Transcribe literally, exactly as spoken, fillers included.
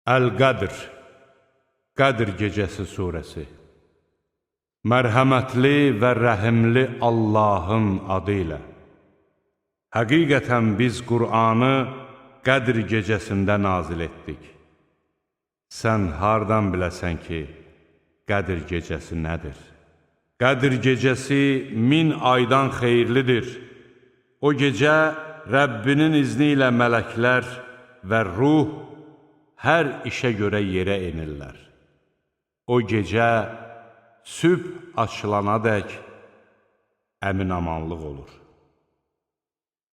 Əl-Qədr, Qədr gecəsi surəsi. Mərhəmətli və rəhimli Allahın adı ilə. Həqiqətən biz Qur'anı Qədr gecəsində nazil etdik. Sən hardan biləsən ki, Qədr gecəsi nədir? Qədr gecəsi min aydan xeyirlidir. O gecə Rəbbinin izni ilə mələklər və ruh hər işə görə yerə enirlər. O gecə sübh açılana dək əmin-amanlıq olur.